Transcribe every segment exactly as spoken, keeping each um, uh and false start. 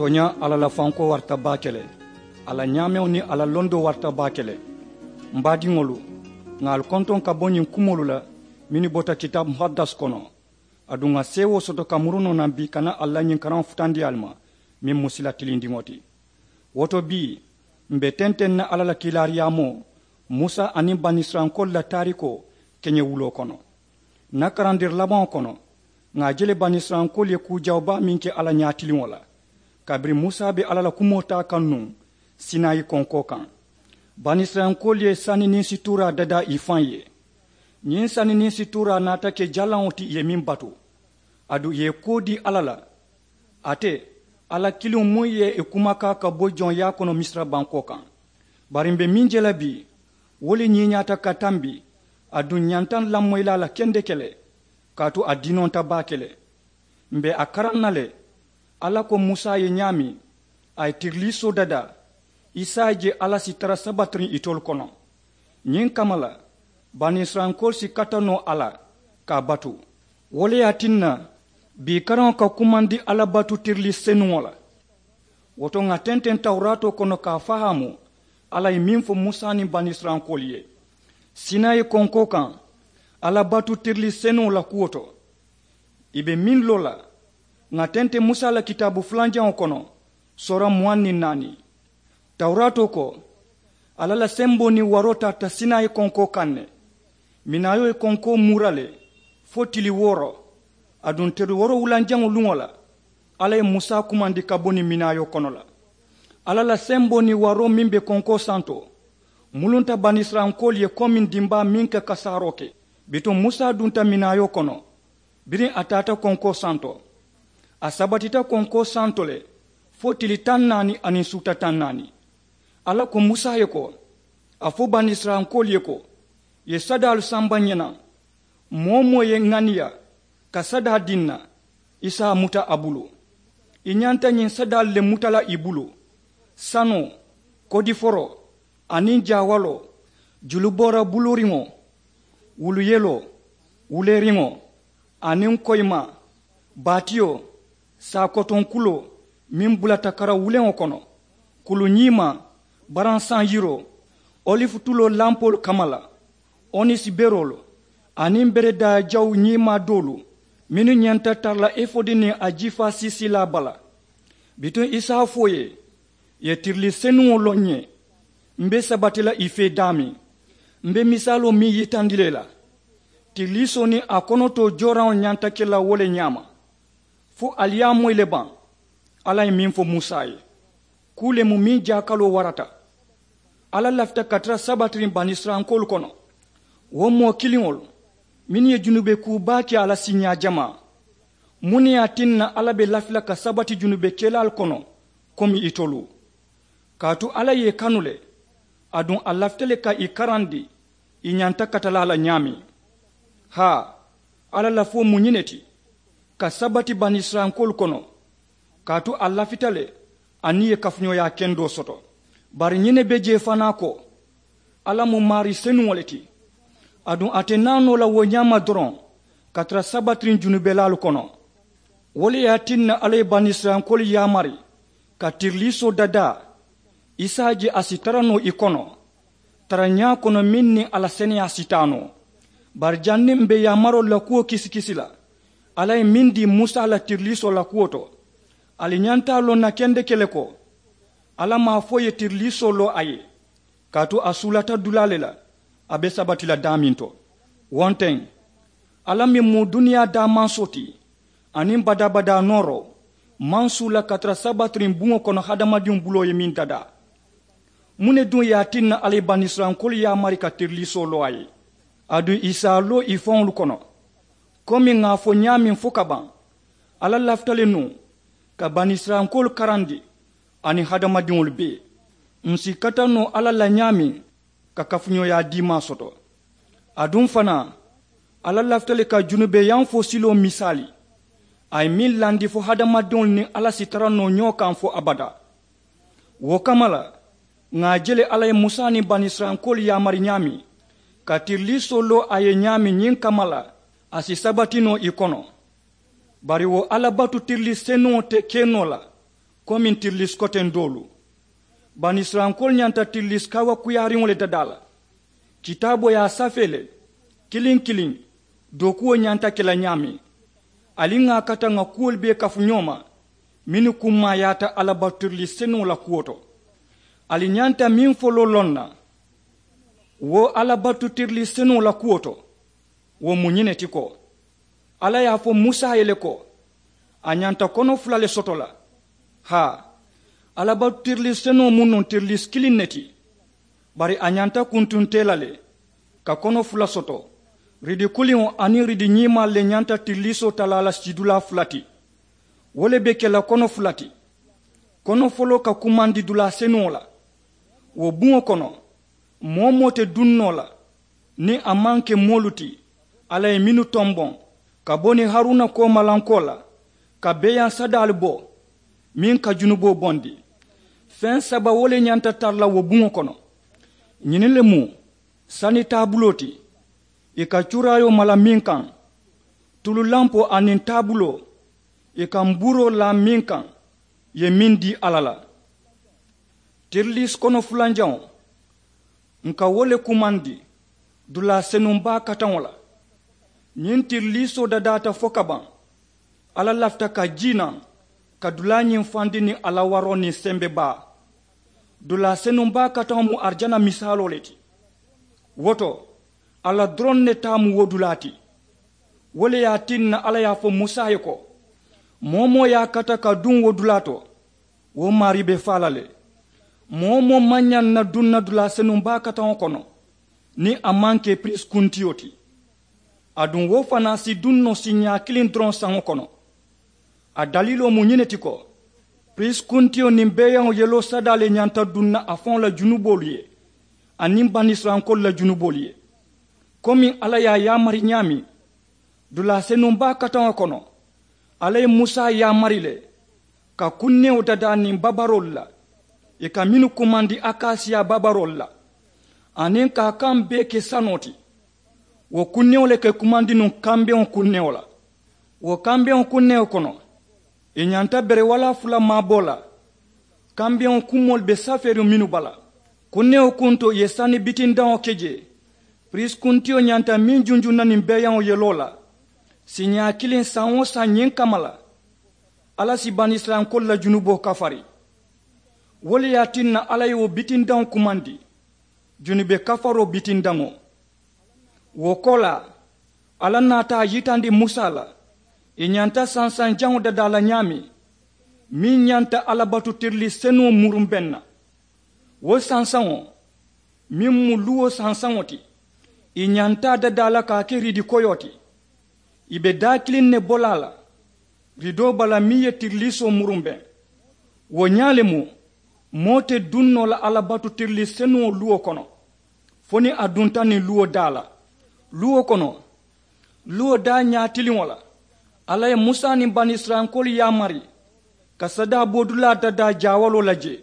Tooñaa, alla la fankoo warata baake le. A la ñaameŋo niŋ a la londoo warata baake le. M baadiŋolu, ŋà ali kontoŋ ka bo ñiŋ kumoolu la mennu bota kitaabu muhaddasi kono. Aduŋ ŋà seewoo soto ka muru noo naŋ bii ka naa alla ñiŋ karaŋo futandi ali ma, meŋ mu sila tilindiŋo ti. Wo to bii, m̀ be tenteŋ na alla la kiilaariyaamoo, musa aniŋ banisirayilankoolu la taarikoo keñewuloo kono. Ǹ na karandiri labaŋo kono, ŋà a je le banisirayilankoolu ye kuu jawoo baa meŋ ke alla ñaatiliŋo la, kabiriŋ musa be alla la kumoo taa kaŋ nuŋ sinayi konkoo kaŋ. Banisirayilankoolu ye sani niŋ situuraa dadaa ì faŋ ye. Ñiŋ sani niŋ situuraa naata ke jalaŋo ti ì ye meŋ batu, aduŋ ì ye kuwo dii alla la, ate alla kiliŋo muŋ ye ì kumakaa ka bo joŋyaa kono misira bankoo kaŋ. Bari m̀ be meŋ je la bii, wo le ñiiñaata ka tambi, aduŋ ǹ ñanta ǹ lamoyi la a la kendeke le, kaatu a dinonta baake le. M̀ be a karaŋ na le, alla ko musa ye ñaameŋ a ye tiriliisoo dadaa, i si a je alla si tara sabatiriŋ itolu kono. Ñiŋ kamma la, banisirayilankoolu si kata noo a la ka a batu. Wo le ye a tinna bii karaŋo ka kumandi alla batu tirilii senuŋo la. Wo to ŋà tenteŋ tawuraatoo kono ka a fahaamu alla ye meŋ fo musa niŋ banisirayilankoolu ye sinayi konkoo kaŋ, alla batu tirilii senuŋo la kuwo to. Ì be meŋ loo la, ŋà tenteŋ musa la kitaabu fulanjaŋo kono, soora muwaŋ niŋ naani. Tawuraatoo ko, alla la semboo niŋ waroo taata sinayi konkoo kaŋ ne. Minaayoo ye konkoo muura le fo tili wooro. Aduŋ tili wooro wulanjaŋo luŋo la, alla ye musa kumandi ka bo niŋ minaayoo kono la. Alla la semboo niŋ waroo meŋ be konkoo santo mulunta banisirayilankoolu ye komiŋ dimbaa meŋ ka kasaaroo ke. Bituŋ musa dunta minaayoo kono, biriŋ a taata konkoo santo, a sabatita konkoo santo le fo tili taŋ naani aniŋ suuta taŋ naani. Alla ko musa ye ko, a fo banisirayilankoolu ye ko, ì ye sadaalu samba ǹ ye naŋ. Moo-wo-moo ye ŋaniya ka sadaa dii ǹ na, i si a muta a bulu. I ñanta ñiŋ sadaalu le muta la i bulu: sanoo, kodiforoo, aniŋ jaawaloo, juluboora buluuriŋo, wulu yeloo, wuleeriŋo, aniŋ koyimaa, baatiyo, saakotoŋ kuloo meŋ bulata kara wuleŋo kono, kulu ñiimaa, baransaŋ yiroo, olifu tuloo lampoolu kamma la, onisi beroolu, aniŋ beredaa jawu ñiimaa doolu mennu ñanta tara la efodi niŋ a jiifaa siisiilaa bala. Bituŋ i si a fo ì ye, ì ye tirilii senuŋo loŋ ǹ ye. M̀ be sabati la ì fee daameŋ, m̀ be misaaloo meŋ yitandi la i la. Tiriliisoo niŋ a konotoo jooraŋo ñanta ke la wo le ñaama. Fo ali ye a moyi le baŋ? Alla ye meŋ fo musa ye, kuu le mu meŋ jaakaloo warata. Alla lafita ka tara sabatiriŋ banisirayilankoolu kono, wo moo kiliŋolu mennu ye junube kuu baa ke a la siiñaa jamaa. Muŋ ne ye a tinna alla be lafi la ka sabati junube kelaalu kono komi itolu? Kaatu alla ye ì kanu le, aduŋ a lafita le ka ì karandi ì ñanta kata la a la ñaameŋ. Haa, alla lafoo mu ñiŋ ne ti, ka sabati banisirayilankoolu kono, kaatu a lafita le aniŋ ì ye kafuñooyaa kendoo soto. Bari ñiŋ ne be jee fanaa ko, alla mu maarii senuŋo le ti, aduŋ a te naa noo la wo ñaama doroŋ ka tara sabatiriŋ junubelaalu kono. Wo le ye a tinna alla ye banisirayilankoolu yaamari ka tiriliisoo dadaa, i si a je a si tara noo ì kono tarañaa kono meŋ niŋ a la seneyaa si taa noo. Bari janniŋ m̀ be yaamaroolu la kuwo kisikisi la, alla ye meŋ dii musa la tiriliisoo la kuwo to, ali ñanta a loŋ na kendeke le ko, alla maŋ a fo ì ye tiriliisoo loo a ye, kaatu a suulata dulaa le la a be sabati la daameŋ to. Wo nteŋ, alla meŋ mu duniyaa daamansoo ti aniŋ badaa-badaa nooroo, maŋ suula ka tara sabatiriŋ buŋo kono hadamadiŋo buloo ye meŋ dadaa. Muŋ ne duŋ ye a tinna alla ye banisirayilankoolu yaamari ka tiriliisoo loo a ye, aduŋ ì si a loo ì faŋolu kono? Komi ŋà a fo ñaameŋ fo ka baŋ, alla lafita le nuŋ ka banisirayilankoolu karandi aniŋ hadamadiŋolu bee. Ǹ si kata noo alla la ñaameŋ ka kafuñooyaa diimaa soto. Aduŋ fanaa, alla lafita le ka junubeyanfoo siloo misaali, a ye meŋ landi fo hadamadiŋolu niŋ alla si tara noo ñoo kaŋ fo abadaa. Wo kamma la, ŋà a je le alla ye musa niŋ banisirayilankoolu yaamari ñaameŋ ka tiriliisoo loo a ye ñaameŋ ñiŋ kamma la, a si sabati noo ì kono. Bari wo alla batu tirilii senuŋo te ke noo la Komiŋ tirilis koteŋ doolu, banisirayilankoolu ñanta tirilis kawakuyaariŋo le dadaa la. Kitaaboo ye a safee le, kiliŋ kiliŋ, dookuwo ñanta ke la ñaameŋ. Ali ŋà a kata ŋà kuwolu bee kafu ñoo ma, mennu kummaayaata alabatu tirilis senuŋo la kuwo to. Ali ñanta meŋ foloo loŋ na, wo alabatu tirilis senuŋo la kuwo to, wo mu ñiŋ ne ti ko, alla ye a fo musa ye le ko, a ñanta kono fula le soto la. Haa, alabatu tirilis senuŋo mu nuŋ tirilis kiliŋ ne ti, bari a ñanta kuntuntee la le, ka kono fula soto, ridi kuliŋo aniŋ ridi ñiimaalu le ñanta tirilisoo talaa la sidulaa fula ti. Wo le be ke la kono fula ti. Kono foloo ka kumandi dulaa senuŋo la. Wo buŋo kono, moo-wo-moo te duŋ noo la niŋ a maŋ ke moolu ti alla ye mennu tomboŋ ka bo niŋ haruna koomalankoo la, ka beeyaŋ sadaalu bo meŋ ka junuboo bondi. Feŋ saba wo le ñanta tara la wo buŋo kono. Ñiniŋ le mu sani taabuloo ti, ì ka cuuraayoo mala meŋ kaŋ, tulu lampoo aniŋ taabuloo, ì ka mbuuroo laa meŋ kaŋ, ì ye meŋ dii alla la. Tirilis kono fulanjaŋo, ǹ ka wo le kumandi dulaa senuŋ baa kataŋo la. Ñiŋ tirilisoo dadaata fo ka baŋ, alla lafita ka jii naŋ ka dulaa ñiŋ fandi niŋ a la waroo niŋ sembe baa. Dulaa senuŋ baa kataŋo mu arijana misaaloo le ti. Wo to, alla doroŋ ne taa mu wo dulaa ti. Wo le ye a tinna alla ye a fo musa ye ko, moo-wo-moo ye a kata ka duŋ wo dulaa to, wo maarii be faa la le. Moo-wo-moo maŋ ñaŋ na duŋ na dulaa senuŋ baa kataŋo kono niŋ a maŋ ke piriisi kuntiyo ti. Aduŋ wo fanaa si duŋ noo siiñaa kiliŋ doroŋ saŋo kono. A daliiloo mu ñiŋ ne ti ko, piriisi kuntiyo niŋ beeyaŋo yeloo sadaa le ñanta duŋ na a faŋo la junuboolu ye, aniŋ banisirayilankoolu la junuboolu ye. Komiŋ alla ye a yaamari ñaameŋ, dulaa senuŋ baa kataŋo kono, alla ye musa yaamari le ka kunnewo dadaa niŋ babaroolu la, ì ka mennu kumandi akasiya babaroolu la, aniŋ ka a kaŋ bee ke sanoo ti. Wo kunnewo le ka ì kumandi nuŋ kambeŋo kunnewo la. Wo kambeŋo kunnewo kono, ì ñanta bere walaa fula maaboo la. Kambeŋo kumoolu be safeeriŋ mennu bala, kunnewo kunto ì ye sani bitindaŋo ke jee. Piriisi kuntiyo ñanta meŋ junjuŋ na niŋ beeyaŋo yeloo la, siiñaa kiliŋ saŋ-wo-saŋ ñiŋ kamma la, alla si banisirayilankoolu la junuboo kafari. Wo le ye a tinna alla ye wo bitindaŋo kumandi junube kafaroo bitindaŋo. Wo koolaa, alla naata a yitandi musa la, ì ñanta sansaŋ jaŋo dadaa la ñaameŋ, meŋ ñanta alla batu tirilii senuŋo murumbeŋ na. Wo sansaŋo, meŋ mu luwo sansaŋo ti, ì ñanta a dadaa la ka a ke riidi koyoo ti. Ì be daa kiliŋ ne bo la a la, riidoo bala meŋ ye tiriliisoo murumbeŋ. Wo ñaa le mu, moo te duŋ noo la alla batu tirilii senuŋo luwo kono, fo niŋ a dunta niŋ luwo daa la. Luwo kono, luwo daa ñaatiliŋo la, alla ye musa niŋ banisirayilankoolu yaamari ka sadaa boodulaa dadaa jaawaloo la jee.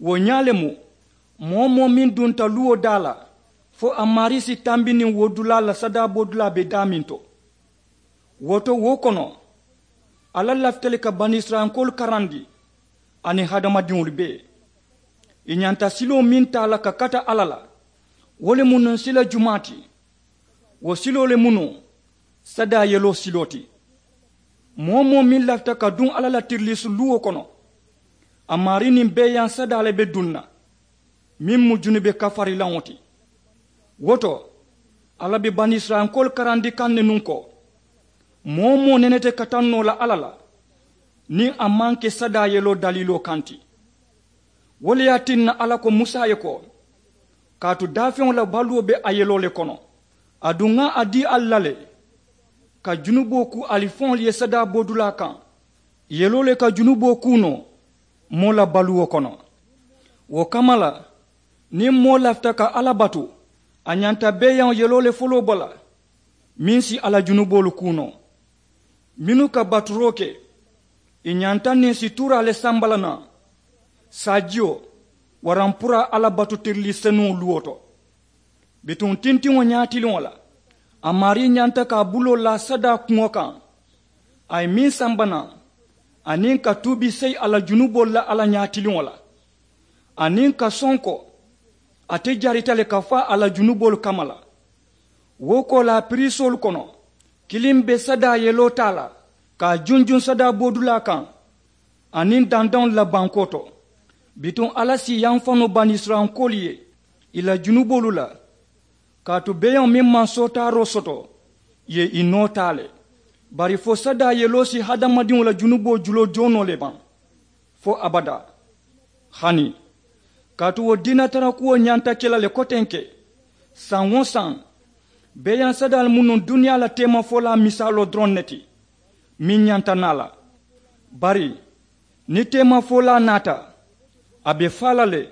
Wo ñaa le mu, moo-wo-moo meŋ dunta luwo daa la, fo a maarii si tambi niŋ wo dulaa la sadaa boodulaa be daameŋ to. Wo to wo kono, alla lafita le ka banisirayilankoolu karandi aniŋ hadamadiŋolu bee. Ì ñanta siloo meŋ taa la ka kata alla la, wo le mu nuŋ sila jumaa ti. Wo siloo le mu nuŋ sadaa yeloo siloo ti. Moo-wo-moo meŋ lafita ka duŋ alla la tiriliisu luwo kono, a maarii niŋ beeyaŋ sadaa le be duŋ na, meŋ mu junube kafarilaŋo ti. Wo to, alla be banisirayilankoolu karandi kaŋ ne nuŋ ko, moo-wo-moo nene te kataŋ noo la alla la, niŋ a maŋ ke sadaa yeloo daliiloo kaŋ ti. Wo le ye a tinna alla ko musa ye ko, kaatu daafeŋo la baluwo be a yeloo le kono. Aduŋ ŋa a dii ali la le, ka junuboo kuu ali faŋolu ye sadaa boodulaa kaŋ, yeloo le ka junuboo kuu noo moo la baluwo kono. Wo kamma la, niŋ moo lafita ka alla batu, a ñanta beeyaŋo yeloo le foloo bo la, meŋ si a la junuboolu kuu noo. Mennu ka baturoo ke, ì ñanta niŋ situuraa le samba la naŋ, saajiyo, waraŋ puru alla batu tirilii senuŋo luwo to. Bituŋ tintiŋo ñaatiliŋo la, a maarii ñanta ka a buloo laa sadaa kuŋo kaŋ, a ye meŋ samba naŋ, aniŋ ka tuubi seyi a la junuboolu la alla ñaatiliŋo la, aniŋ ka sonko ate jarita le ka faa a la junuboolu kamma la. Wo koolaa piriisoolu kono, kiliŋ be sadaa yeloo taa la ka a junjuŋ sadaa boodulaa kaŋ aniŋ dandaŋolu la bankoo to. Bituŋ alla si yamfa noo banisirayilankoolu ye ì la junuboolu la, kaatu beeyaŋo meŋ maŋ sootaaroo soto ì ye ì noo taa le. Bari fo sadaa yeloo si hadamadiŋo la junuboo juloo joonoo le baŋ fo abadaa. Hani kaatu wo diinatarakuwo ñanta ke la le kotenke, saŋ-wo-saŋ beeyaŋ sadaalu mu nuŋ duniyaa la teemafolaa misaaloo doroŋ ne ti meŋ ñanta naa la. Bari niŋ teemafolaa naata, a be faa la le,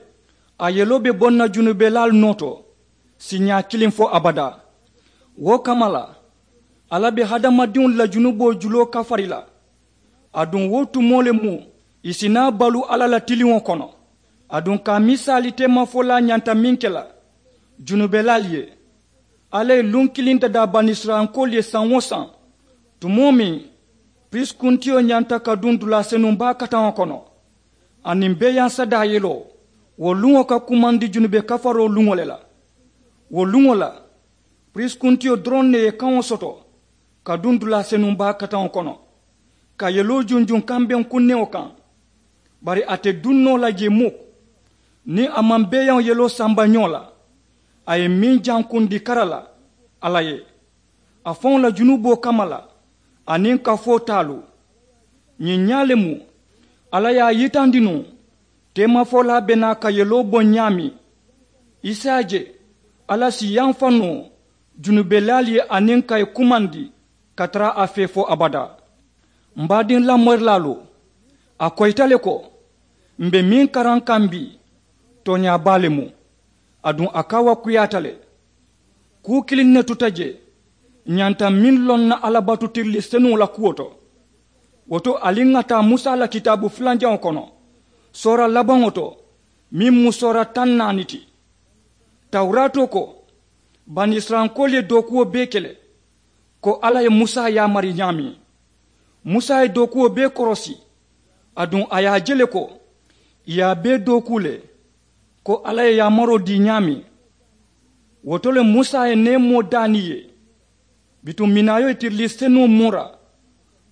a yeloo be boŋ na junubelaalu noo to siiñaa kiliŋ fo abadaa. Wo kamma la, alla be hadamadiŋolu la junuboo juloo kafari la. Aduŋ wo tumoo le mu ì si naa baluu alla la tiliŋo kono. Aduŋ ka a misaali teemafolaa ñanta meŋ ke la junubelaalu ye, alla ye luŋ kiliŋ dadaa banisirayilankoolu ye saŋ-wo-saŋ, tumoo meŋ piriisi kuntiyo ñanta ka duŋ dulaa senuŋ baa kataŋo kono, aniŋ beeyaŋ sadaa yeloo, wo luŋo ka kumandi junube kafaroo luŋo le la. Wo luŋo la piriisi kuntiyo doroŋ ne ye kaŋo soto ka duŋ dulaa senuŋ baa kataŋo kono, ka yeloo junjuŋ kambeŋ kunneŋo kaŋ. Bari a te duŋ noo la jee muk niŋ a maŋ beeyaŋo yeloo samba ñoo la. A ye meŋ jankundi kara la alla ye, a faŋo la junuboo kamma la aniŋ kafoo taalu. Ñiŋ ñaa le mu alla ye a yitandi nuŋ, teemafolaa be naa ka yeloo boŋ ñaameŋ, i si a je alla si yamfa noo junubelaalu ye aniŋ ka ì kumandi ka tara a fee fo abadaa. M baadiŋ lamorilaalu, a koyita le ko m be meŋ karaŋ kaŋ bii, tooñaa baa le mu, aduŋ a kaawakuyaata le. Kuu kiliŋ ne tuta jee ñanta meŋ loŋ na alla batu tirilii senuŋo la kuwo to. Wo to ali ŋà taa musa la kitaabu fulanjaŋo kono, soora labaŋo to, meŋ mu soora taŋ naani ti. Tawuraatoo ko banisirayilankoolu ye dookuwo bee ke le, ko alla ye musa yaamari ñaameŋ. Musa ye dookuwo bee korosi, aduŋ a ye a je le ko ì ye a bee dookuu le, ko alla ye yaamaroo dii ñaameŋ. Wo to le musa ye neemoo daa niŋ ì ye. Bituŋ minaayo ye tirilii senuŋo muura,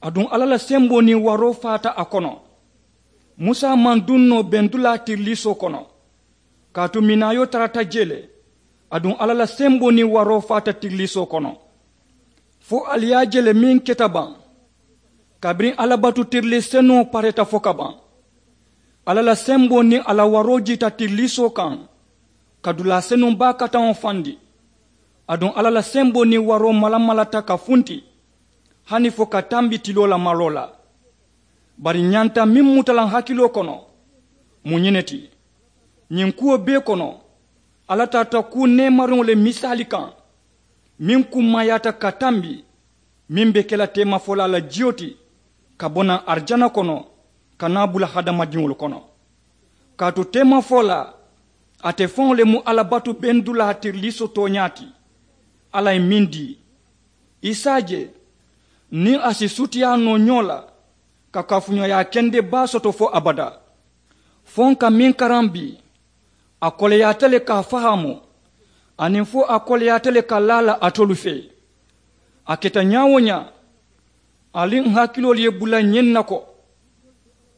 aduŋ alla la semboo niŋ waroo faata a kono. Musa maŋ duŋ noo bendulaa tiriliisoo kono, kaatu minaayo tarata jee le, aduŋ alla la semboo niŋ waroo faata tiriliisoo kono. Fo ali ye a je le meŋ keta baŋ, kabiriŋ alla batu tirilii senuŋo pareeta fo ka baŋ. Alla la semboo niŋ a la waroo jiita tiriliisoo kaŋ, ka dulaa senuŋ baa kataŋo fandi. Aduŋ alla la semboo niŋ waroo malamalata ka funti, hani fo ka tambi tiloo la maloo la. Bari ñanta meŋ muta la n hakiloo kono, mu ñiŋ ne ti. Ñiŋ kuwo bee kono, alla tarata kuu neemariŋo le misaali kaŋ, meŋ kummayaata ka tambi, meŋ be ke la teemafolaa la jiyo ti, ka bo naŋ arijana kono, ka naa bula hadamadiŋolu kono. Kaatu teemafolaa, ate faŋo le mu alla batu bendulaa tiriliisoo tooñaa ti. Alla ye meŋ dii, i si a je niŋ a si sutiyaa noo ñoo la, ka kafuñooyaa kende baa soto fo abadaa. Fo n ka meŋ karaŋ bii, a koleyaata le ka a fahaamu, aniŋ fo a koleyaata le ka laa la alitolu fee. A keta ñaa-wo-ñaa, ali n hakiloolu ye bula ñiŋ na ko,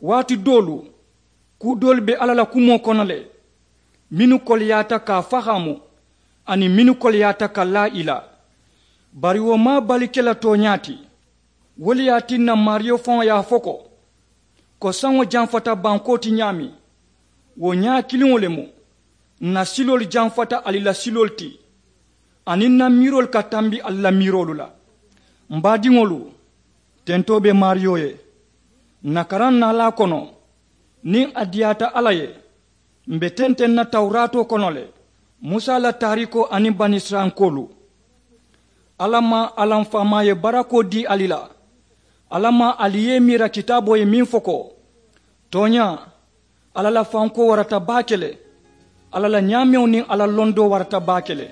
waati doolu, kuu doolu be alla la kumoo kono le, mennu koleyaata ka a fahaamu, aniŋ mennu koleyaata ka laa i la. Bari wo maŋ a bali ke la tooñaa ti. Wo le ye a tinna maariyo faŋo ye a fo ko, ko saŋo jamfata bankoo ti ñaameŋ, wo ñaa kiliŋo le mu. N na siloolu jamfata ali la siloolu ti, aniŋ n na miiroolu ka tambi ali la miiroolu la. M baadiŋolu, tentoo be maariyo ye. N na karaŋ naalaa kono, niŋ a diyaata alla ye, m be tenteŋ na tawuraatoo kono le, musa la taariikoo aniŋ banisirayilankoolu. Alla maŋ a la m faamaa ye barakoo dii ali la. Alla maŋ ali ye i miira kitaaboo ye meŋ fo ko, tooñaa, alla la fankoo warata baake le, alla la ñaameŋo niŋ a la londoo warata baake le.